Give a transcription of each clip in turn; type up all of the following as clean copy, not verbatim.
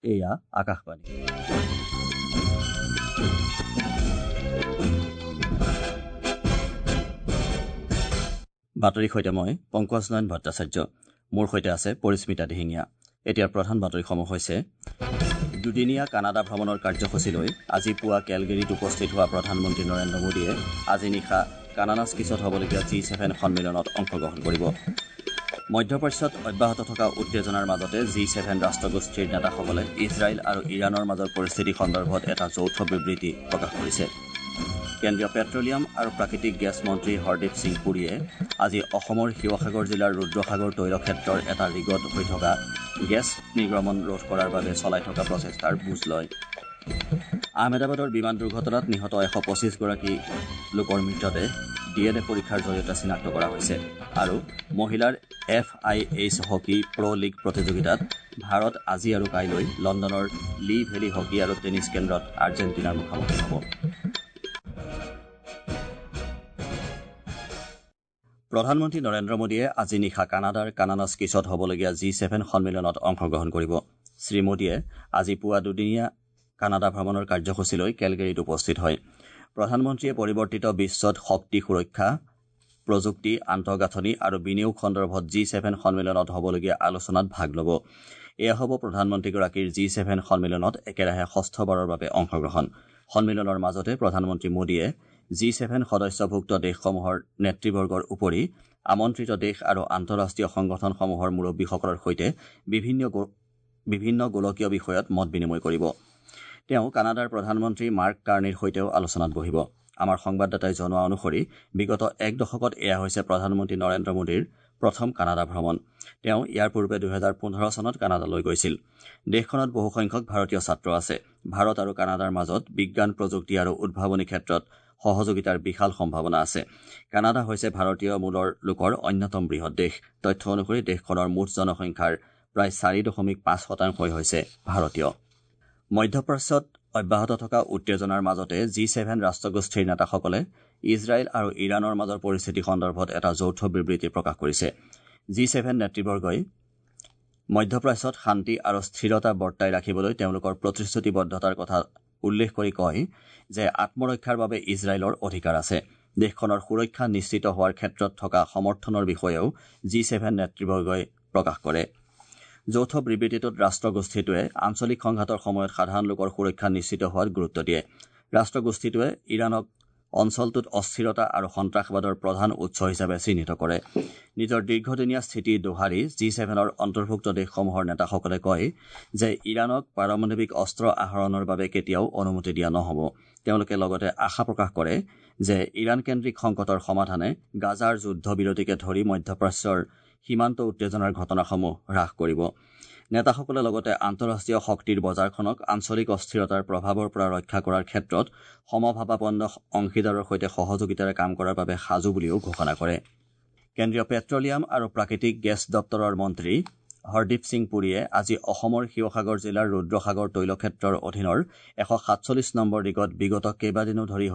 এয়া আকাশবাণী। বাতৰিৰ সৈতে মই পংকজ নয়ন ভট্টাচাৰ্য। মোৰ সৈতে আছে পৰিস্মিতা দিহিঙীয়া। এতিয়াৰ প্ৰধান বাতৰিসমূহ হৈছে: দুদিনীয়া কানাডা ভ্ৰমণৰ কাৰ্যসূচী লৈ আজি পুৱা কেলগেৰীত উপস্থিত হোৱা প্ৰধানমন্ত্ৰী নৰেন্দ্ৰ মোদীয়ে আজি নিশা কানানাস্কিছত হ'বলগীয়া জি-7 সন্মিলনত অংশগ্ৰহণ কৰিব। মধ্যপ্ৰাচ্যত অব্যাহত থকা উত্তেজনাৰ মাজতে জি-7 ৰাষ্ট্ৰগোষ্ঠীৰ নেতাসকলে ইজৰাইল আৰু ইৰাণৰ মাজৰ পৰিস্থিতি সন্দৰ্ভত এটা যৌথ বিবৃতি প্ৰকাশ কৰিছে। কেন্দ্ৰীয় পেট্ৰলিয়াম আৰু প্ৰাকৃতিক গেছ মন্ত্ৰী হৰদীপ সিং পুৰীয়ে আজি অসমৰ শিৱসাগৰ জিলাৰ ৰুদ্ৰসাগৰ তৈল ক্ষেত্ৰৰ এটা ৰিগত হৈ থকা গেছ নিৰ্গমন ৰোধ কৰাৰ বাবে চলাই থকা প্ৰচেষ্টাৰ বুজ লয়। আহমেদাবাদৰ বিমান দুৰ্ঘটনাত নিহত 125গৰাকী লোকৰ মৃতদেহ ডিএনএ পৰীক্ষাৰ জৰিয়তে চিনাক্ত কৰা হৈছে। আৰু মহিলাৰ FIH hockey প্ৰ' লীগ প্ৰতিযোগিতাত ভাৰত আজি আৰু কাইলৈ লণ্ডনৰ লী ভেলী হকী আৰু টেনিছ কেন্দ্ৰত আৰ্জেণ্টিনাৰ মুখামুখি হ'ব। প্ৰধানমন্ত্ৰী নৰেন্দ্ৰ মোদীয়ে আজি নিশা কানাডাৰ কানানাস্কিছত হ'বলগীয়া জি-7 সন্মিলনত অংশগ্ৰহণ কৰিব। শ্ৰীমোদীয়ে আজি পুৱা দুদিনীয়া কানাডা ভ্ৰমণৰ কাৰ্যসূচী লৈ কেলগেৰীত উপস্থিত হয়। প্ৰধানমন্ত্ৰীয়ে পৰিৱৰ্তিত বিশ্বত শক্তি সুৰক্ষা, প্ৰযুক্তি, আন্তঃগাঁথনি আৰু বিনিয়োগ সন্দৰ্ভত জি-7 সন্মিলনত হ'বলগীয়া আলোচনাত ভাগ ল'ব। এয়া হ'ব প্ৰধানমন্ত্ৰীগৰাকীৰ জি-7 সন্মিলনত একেৰাহে ষষ্ঠবাৰৰ বাবে অংশগ্ৰহণ। সন্মিলনৰ মাজতে প্ৰধানমন্ত্ৰী মোদীয়ে জি-7 সদস্যভুক্ত দেশসমূহৰ নেতৃবৰ্গৰ উপৰি আমন্ত্ৰিত দেশ আৰু আন্তঃৰাষ্ট্ৰীয় সংগঠনসমূহৰ মুৰব্বীসকলৰ সৈতে বিভিন্ন গোলকীয় বিষয়ত মত বিনিময় কৰিব। তেওঁ কানাডাৰ প্ৰধানমন্ত্ৰী মাৰ্ক কাৰ্নিৰ সৈতেও আলোচনাত বহিব। আমাৰ সংবাদদাতাই জনোৱা অনুসৰি বিগত এক দশকত এয়া হৈছে প্ৰধানমন্ত্ৰী নৰেন্দ্ৰ মোদীৰ প্ৰথম কানাডা ভ্ৰমণ। তেওঁ ইয়াৰ পূৰ্বে 2015 চনত কানাডালৈ গৈছিল। দেশখনত বহুসংখ্যক ভাৰতীয় ছাত্ৰ আছে। ভাৰত আৰু কানাডাৰ মাজত বিজ্ঞান, প্ৰযুক্তি আৰু উদ্ভাৱনী ক্ষেত্ৰত সহযোগিতাৰ বিশাল সম্ভাৱনা আছে। কানাডা হৈছে ভাৰতীয় মূলৰ লোকৰ অন্যতম বৃহৎ দেশ। তথ্য অনুসৰি দেশখনৰ মুঠ জনসংখ্যাৰ প্ৰায় 4.5% হৈছে ভাৰতীয়। মধ্যপ্ৰাচ্যত অব্যাহত থকা উত্তেজনাৰ মাজতে জি-7 ৰাষ্ট্ৰগোষ্ঠীৰ নেতাসকলে ইজৰাইল আৰু ইৰাণৰ মাজৰ পৰিস্থিতি সন্দৰ্ভত এটা যৌথ বিবৃতি প্ৰকাশ কৰিছে। জি-7 নেতৃবৰ্গই মধ্যপ্ৰাচ্যত শান্তি আৰু স্থিৰতা বৰ্তাই ৰাখিবলৈ তেওঁলোকৰ প্ৰতিশ্ৰুতিবদ্ধতাৰ কথা উল্লেখ কৰি কয় যে আত্মৰক্ষাৰ বাবে ইজৰাইলৰ অধিকাৰ আছে। দেশখনৰ সুৰক্ষা নিশ্চিত হোৱাৰ ক্ষেত্ৰত থকা সমৰ্থনৰ বিষয়েও জি-7 নেতৃবৰ্গই প্ৰকাশ কৰে। যৌথ বিবৃতিটোত ৰাষ্ট্ৰগোষ্ঠীটোৱে আঞ্চলিক সংঘাতৰ সময়ত সাধাৰণ লোকৰ সুৰক্ষা নিশ্চিত হোৱাত গুৰুত্ব দিয়ে। ৰাষ্ট্ৰগোষ্ঠীটোৱে ইৰাণক অঞ্চলটোত অস্থিৰতা আৰু সন্ত্ৰাসবাদৰ প্ৰধান উৎস হিচাপে চিহ্নিত কৰে। নিজৰ দীৰ্ঘদিনীয়া স্থিতি দোহাৰি জি-7ৰ অন্তৰ্ভুক্ত দেশসমূহৰ নেতাসকলে কয় যে ইৰাণক পাৰমাণৱিক অস্ত্ৰ আহৰণৰ বাবে কেতিয়াও অনুমতি দিয়া নহ'ব। তেওঁলোকে লগতে আশা প্ৰকাশ কৰে যে ইৰাণকেন্দ্ৰিক সংকটৰ সমাধানে গাজাৰ যুদ্ধবিৰতিকে ধৰি মধ্যপ্ৰাচ্যৰ সীমান্ত উত্তেজনাৰ ঘটনাসমূহ হ্ৰাস কৰিব। নেতাসকলে লগতে আন্তঃৰাষ্ট্ৰীয় শক্তিৰ বজাৰখনক আঞ্চলিক অস্থিৰতাৰ প্ৰভাৱৰ পৰা ৰক্ষা কৰাৰ ক্ষেত্ৰত সমভাৱাপন্ন অংশীদাৰৰ সৈতে সহযোগিতাৰে কাম কৰাৰ বাবে সাজু বুলিও ঘোষণা কৰে। কেন্দ্ৰীয় পেট্ৰলিয়াম আৰু প্ৰাকৃতিক গেছ দপ্তৰৰ মন্ত্ৰী হৰদীপ সিং পুৰীয়ে আজি অসমৰ শিৱসাগৰ জিলাৰ ৰুদ্ৰসাগৰ তৈলক্ষেত্ৰৰ অধীনৰ 147 নম্বৰ ৰিগত বিগত কেইবাদিনো ধৰি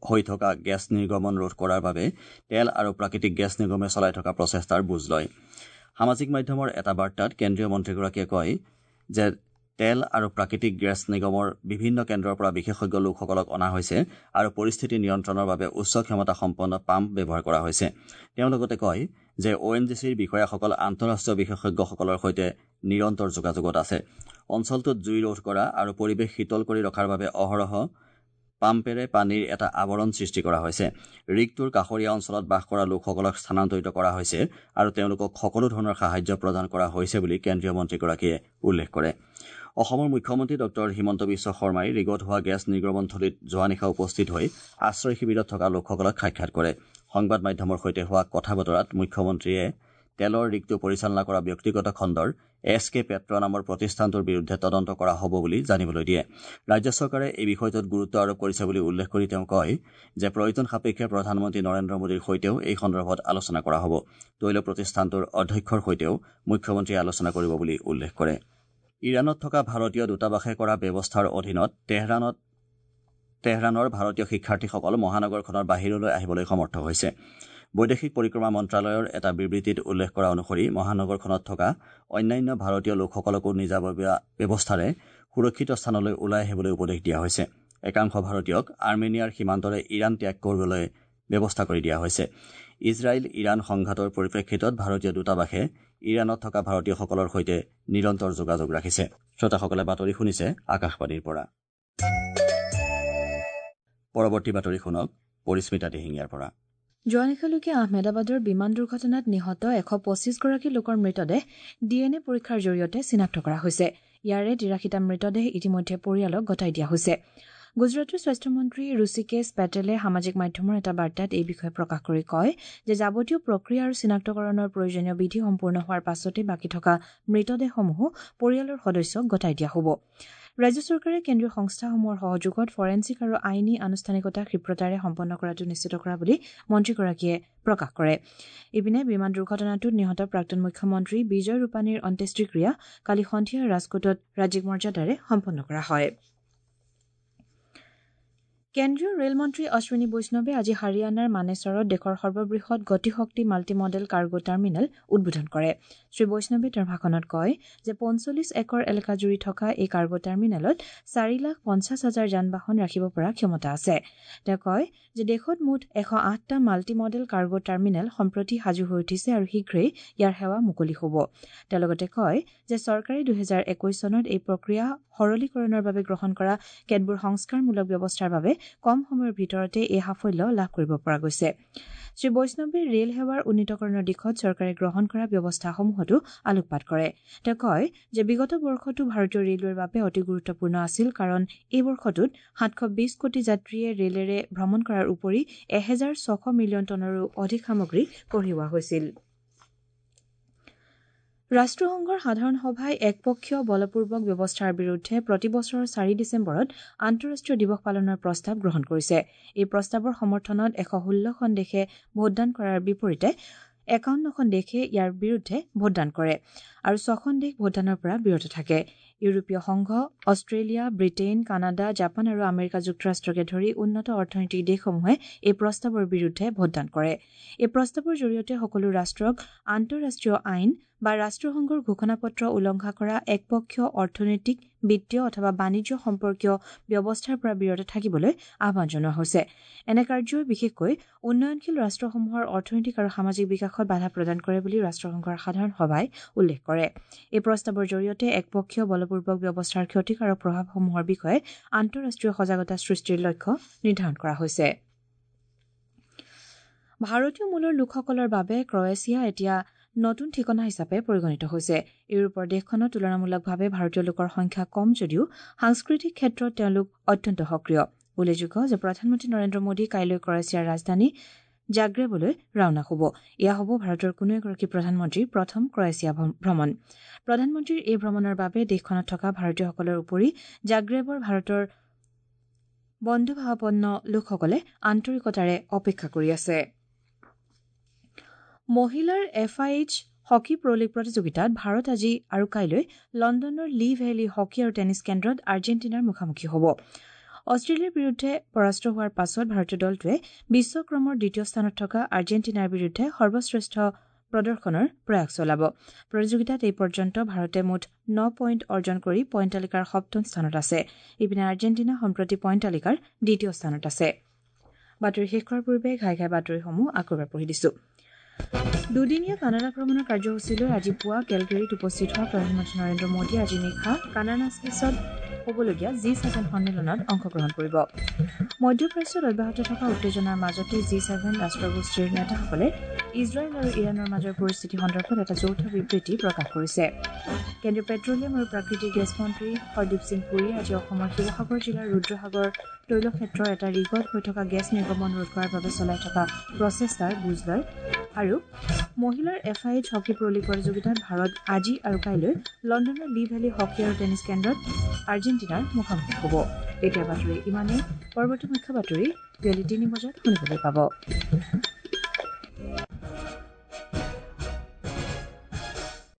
হৈ থকা গেছ নিৰ্গমন ৰোধ কৰাৰ বাবে তেল আৰু প্ৰাকৃতিক গেছ নিগমে চলাই থকা প্ৰচেষ্টাৰ বুজ লয়। সামাজিক মাধ্যমৰ এটা বাৰ্তাত কেন্দ্ৰীয় মন্ত্ৰীগৰাকীয়ে কয় যে তেল আৰু প্ৰাকৃতিক গেছ নিগমৰ বিভিন্ন কেন্দ্ৰৰ পৰা বিশেষজ্ঞ লোকসকলক অনা হৈছে আৰু পৰিস্থিতি নিয়ন্ত্ৰণৰ বাবে উচ্চ ক্ষমতা সম্পন্ন পাম্প ব্যৱহাৰ কৰা হৈছে। তেওঁ লগতে কয় যে অ' এন জি চিৰ বিষয়াসকল আন্তঃৰাষ্ট্ৰীয় বিশেষজ্ঞসকলৰ সৈতে নিৰন্তৰ যোগাযোগত আছে। অঞ্চলটোত জুই ৰোধ কৰা আৰু পৰিৱেশ শীতল কৰি ৰখাৰ বাবে অহৰহ পাম্পেৰে পানীৰ এটা আৱৰণ সৃষ্টি কৰা হৈছে। ৰিগটোৰ কাষৰীয়া অঞ্চলত বাস কৰা লোকসকলক স্থানান্তৰিত কৰা হৈছে আৰু তেওঁলোকক সকলো ধৰণৰ সাহায্য প্ৰদান কৰা হৈছে বুলি কেন্দ্ৰীয় মন্ত্ৰীগৰাকীয়ে উল্লেখ কৰে। অসমৰ মুখ্যমন্ত্ৰী ডঃ হিমন্ত বিশ্ব শৰ্মাই ৰিগত হোৱা গেছ নিৰ্গমনথলীত যোৱা নিশা উপস্থিত হৈ আশ্ৰয় শিবিৰত থকা লোকসকলক সাক্ষাৎ কৰে। সংবাদ মাধ্যমৰ সৈতে হোৱা কথা বতৰাত মুখ্যমন্ত্ৰীয়ে তেলৰ ৰিগটো পৰিচালনা কৰা ব্যক্তিগত খণ্ডৰ এছ কে পেট্ৰ নামৰ প্ৰতিষ্ঠানটোৰ বিৰুদ্ধে তদন্ত কৰা হ'ব বুলি জানিবলৈ দিয়ে। ৰাজ্য চৰকাৰে এই বিষয়টোত গুৰুত্ব আৰোপ কৰিছে বুলি উল্লেখ কৰি তেওঁ কয় যে প্ৰয়োজন সাপেক্ষে প্ৰধানমন্ত্ৰী নৰেন্দ্ৰ মোদীৰ সৈতেও এই সন্দৰ্ভত আলোচনা কৰা হ'ব। তৈল প্ৰতিষ্ঠানটোৰ অধ্যক্ষৰ সৈতেও মুখ্যমন্ত্ৰীয়ে আলোচনা কৰিব বুলি উল্লেখ কৰে। ইৰাণত থকা ভাৰতীয় দূতাবাসে কৰা ব্যৱস্থাৰ অধীনত তেহৰাণৰ ভাৰতীয় শিক্ষাৰ্থীসকল মহানগৰখনৰ বাহিৰলৈ আহিবলৈ সমৰ্থ হৈছে। বৈদেশিক পৰিক্ৰমা মন্ত্ৰালয়ৰ এটা বিবৃতিত উল্লেখ কৰা অনুসৰি মহানগৰখনত থকা অন্যান্য ভাৰতীয় লোকসকলকো নিজাববীয়া ব্যৱস্থাৰে সুৰক্ষিত স্থানলৈ ওলাই আহিবলৈ উপদেশ দিয়া হৈছে। একাংশ ভাৰতীয়ক আৰ্মেনিয়াৰ সীমান্তৰে ইৰাণ ত্যাগ কৰিবলৈ ব্যৱস্থা কৰি দিয়া হৈছে। ইজৰাইল ইৰাণ সংঘাতৰ পৰিপ্ৰেক্ষিতত ভাৰতীয় দূতাবাসে ইৰাণত থকা ভাৰতীয়সকলৰ সৈতে নিৰন্তৰ যোগাযোগ ৰাখিছে। শ্ৰোতাসকলে বাতৰি শুনিছে আকাশবাণীৰ পৰা। পৰৱৰ্তী বাতৰি শুনক পৰিস্মিতা দিহিঙীয়াৰ পৰা। যোৱা নিশালৈকে আহমেদাবাদৰ বিমান দুৰ্ঘটনাত নিহত 125গৰাকী লোকৰ মৃতদেহ DNA পৰীক্ষাৰ জৰিয়তে চিনাক্ত কৰা হৈছে। ইয়াৰে 83টা মৃতদেহ ইতিমধ্যে পৰিয়ালক গতাই দিয়া হৈছে। গুজৰাটৰ স্বাস্থ্যমন্ত্ৰী ঋষিকেশ পেটেলে সামাজিক মাধ্যমৰ এটা বাৰ্তাত এই বিষয়ে প্ৰকাশ কৰি কয় যে যাৱতীয় প্ৰক্ৰিয়া আৰু চিনাক্তকৰণৰ প্ৰয়োজনীয় বিধি সম্পূৰ্ণ হোৱাৰ পাছতে বাকী থকা মৃতদেহসমূহো পৰিয়ালৰ সদস্যক গতাই দিয়া হ'ব। ৰাজ্য চৰকাৰে কেন্দ্ৰীয় সংস্থাসমূহৰ সহযোগত ফৰেনছিক আৰু আইনী আনুষ্ঠানিকতা ক্ষিপ্ৰতাৰে সম্পন্ন কৰাটো নিশ্চিত কৰা বুলি মন্ত্ৰীগৰাকীয়ে প্ৰকাশ কৰে। ইপিনে বিমান দুৰ্ঘটনাটোত নিহত প্ৰাক্তন মুখ্যমন্ত্ৰী বিজয় ৰূপানীৰ অন্ত্যেষ্টিক্ৰিয়া কালি সন্ধিয়া ৰাজকোটত ৰাজ্যিক মৰ্যাদাৰে সম্পন্ন কৰা হয়। কেন্দ্ৰীয় ৰেল মন্ত্ৰী অশ্বিনী বৈষ্ণৱে আজি হাৰিয়ানাৰ মানেছৰত দেশৰ সৰ্ববৃহৎ গতিশক্তি মাল্টিমডেল কাৰ্গো টাৰ্মিনেল উদ্বোধন কৰে। শ্ৰী বৈষ্ণৱে তেওঁৰ ভাষণত কয় যে 45 একৰ এলেকাজুৰি থকা এই কাৰ্গো টাৰ্মিনেলত 4,50,000 যান বাহন ৰাখিব পৰা ক্ষমতা আছে। তেওঁ কয় যে দেশত মুঠ 108টা মাল্টিমডেল কাৰ্গো টাৰ্মিনেল সম্প্ৰতি সাজু হৈ উঠিছে আৰু শীঘ্ৰেই ইয়াৰ সেৱা মুকলি হ'ব। তেওঁ লগতে কয় যে চৰকাৰে 2021 চনত এই প্ৰক্ৰিয়া সৰলীকৰণৰ বাবে গ্ৰহণ কৰা কেতবোৰ সংস্কাৰমূলক ব্যৱস্থাৰ বাবে কম সময়ৰ ভিতৰতে এই সাফল্য লাভ কৰিব পৰা গৈছে। শ্ৰী বৈষ্ণৱে ৰেল সেৱাৰ উন্নীতকৰণৰ দিশত চৰকাৰে গ্ৰহণ কৰা ব্যৱস্থাসমূহতো আলোকপাত কৰে। তেওঁ কয় যে বিগত বৰ্ষটো ভাৰতীয় ৰেলৱেৰ বাবে অতি গুৰুত্বপূৰ্ণ আছিল, কাৰণ এই বৰ্ষটোত 720 কোটি যাত্ৰীয়ে ৰেলেৰে ভ্ৰমণ কৰাৰ উপৰি 1,600 মিলিয়ন টনৰো অধিক সামগ্ৰী কঢ়িওৱা হৈছিল। ৰাষ্ট্ৰসংঘৰ সাধাৰণ সভাই একপক্ষীয় বলপূৰ্বক ব্যৱস্থাৰ বিৰুদ্ধে প্ৰতি বছৰৰ 4 ডিচেম্বৰত আন্তঃৰাষ্ট্ৰীয় দিৱস পালনৰ প্ৰস্তাৱ গ্ৰহণ কৰিছে। এই প্ৰস্তাৱৰ সমৰ্থনত 116খন দেশে ভোটদান কৰাৰ বিপৰীতে 51খন দেশে ইয়াৰ বিৰুদ্ধে ভোটদান কৰে আৰু 6খন দেশ ভোটদানৰ পৰা বিৰত থাকে। ইউৰোপীয় সংঘ, অষ্ট্ৰেলিয়া, ব্ৰিটেইন, কানাডা, জাপান আৰু আমেৰিকা যুক্তৰাষ্ট্ৰকে ধৰি উন্নত অৰ্থনৈতিক দেশসমূহে এই প্ৰস্তাৱৰ বিৰুদ্ধে ভোটদান কৰে। এই প্ৰস্তাৱৰ জৰিয়তে সকলো ৰাষ্ট্ৰক আন্তঃৰাষ্ট্ৰীয় আইন বা ৰাষ্ট্ৰসংঘৰ ঘোষণাপত্ৰ উলংঘা কৰা একপক্ষীয় অৰ্থনৈতিক, বিত্তীয় অথবা বাণিজ্য সম্পৰ্কীয় ব্যৱস্থাৰ পৰা বিৰত থাকিবলৈ আহ্বান জনোৱা হৈছে। এনে কাৰ্যই বিশেষকৈ উন্নয়নশীল ৰাষ্ট্ৰসমূহৰ অৰ্থনৈতিক আৰু সামাজিক বিকাশত বাধা প্ৰদান কৰে বুলি ৰাষ্ট্ৰসংঘৰ সাধাৰণ সভাই উল্লেখ কৰে। এই প্ৰস্তাৱৰ জৰিয়তে একপক্ষীয় বলপূৰ্বক ব্যৱস্থাৰ ক্ষতিকাৰক প্ৰভাৱসমূহৰ বিষয়ে আন্তঃৰাষ্ট্ৰীয় সজাগতা সৃষ্টিৰ লক্ষ্য নিৰ্ধাৰণ কৰা হৈছে। ভাৰতীয় মূলৰ লোকসকলৰ বাবে ক্ৰয়েছিয়া এতিয়া নতুন ঠিকনা হিচাপে পৰিগণিত হৈছে। ইউৰোপৰ দেশখনত তুলনামূলকভাৱে ভাৰতীয় লোকৰ সংখ্যা কম যদিও সাংস্কৃতিক ক্ষেত্ৰত তেওঁলোক অত্যন্ত সক্ৰিয়। উল্লেখযোগ্য যে প্ৰধানমন্ত্ৰী নৰেন্দ্ৰ মোদী কাইলৈ ক্ৰয়েছিয়াৰ ৰাজধানী জাগ্ৰেবলৈ ৰাওনা হ'ব। এয়া হ'ব ভাৰতৰ কোনো এগৰাকী প্ৰধানমন্ত্ৰীৰ প্ৰথম ক্ৰয়েছিয়া ভ্ৰমণ। প্ৰধানমন্ত্ৰীৰ এই ভ্ৰমণৰ বাবে দেশখনত থকা ভাৰতীয়সকলৰ উপৰি জাগ্ৰেবৰ ভাৰতৰ বন্ধুভাৱাপন্ন লোকসকলে আন্তৰিকতাৰে অপেক্ষা কৰি আছে। মহিলাৰ FIH hockey প্ৰ লীগ প্ৰতিযোগিতাত ভাৰত আজি আৰু কাইলৈ লণ্ডনৰ লি ভেলী হকী আৰু টেনিছ কেন্দ্ৰত আৰ্জেণ্টিনাৰ মুখামুখি হ'ব। অষ্ট্ৰেলিয়াৰ বিৰুদ্ধে পৰাস্ত হোৱাৰ পাছত ভাৰতীয় দলটোৱে বিশ্বক্ৰমৰ দ্বিতীয় স্থানত থকা আৰ্জেণ্টিনাৰ বিৰুদ্ধে সৰ্বশ্ৰেষ্ঠ প্ৰদৰ্শনৰ প্ৰয়াস চলাব। প্ৰতিযোগিতাত এই পৰ্যন্ত ভাৰতে মুঠ 9 পইণ্ট অৰ্জন কৰি পইণ্ট তালিকাৰ সপ্তম স্থানত আছে। ইপিনে আৰ্জেণ্টিনা সম্প্ৰতি পইণ্ট তালিকাৰ দ্বিতীয় স্থানত আছে। বাতৰি শেষ কৰাৰ পূৰ্বে ঘাই ঘাই বাতৰিসমূহ আকৌ এবাৰ পঢ়ি দিছো। দুদিনীয়া কানাডা ভ্ৰমণৰ কাৰ্যসূচীলৈ আজি পুৱা কেলগেৰীত উপস্থিত হোৱা প্ৰধানমন্ত্ৰী নৰেন্দ্ৰ মোদীয়ে আজি নিশা কানাডাস্কিছত হ'বলগীয়া G7 সন্মিলনত অংশগ্ৰহণ কৰিব। মধ্যপ্ৰাচ্যত অব্যাহত থকা উত্তেজনাৰ মাজতে G7 ৰাষ্ট্ৰগোষ্ঠীৰ নেতাসকলে ইজৰাইল আৰু ইৰাণৰ মাজৰ পৰিস্থিতি সন্দৰ্ভত এটা যৌথ বিবৃতি প্ৰকাশ কৰিছে। কেন্দ্ৰীয় পেট্ৰলিয়াম আৰু প্ৰাকৃতিক গেছ মন্ত্ৰী হৰদীপ সিং পুৰীয়ে আজি অসমৰ শিৱসাগৰ জিলাৰ ৰুদ্ৰসাগৰ তৈলক্ষেত্ৰৰ এটা ৰিগত হৈ থকা গেছ নিৰ্গমন ৰোধ কৰাৰ বাবে চলাই থকা প্ৰচেষ্টাৰ বুজ লয়। আৰু মহিলাৰ FIH hockey প্ৰ লীগ প্ৰতিযোগিতাত ভাৰত আজি আৰু কাইলৈ লণ্ডনৰ লি ভেলী হকী আৰু টেনিছ কেন্দ্ৰত আৰ্জেণ্টিনাৰ মুখামুখি হ'ব। এতিয়া বাতৰি ইমানেই। পৰৱৰ্তী মুখ্য বাতৰি বিয়লি 3 বজাত শুনিবলৈ পাব।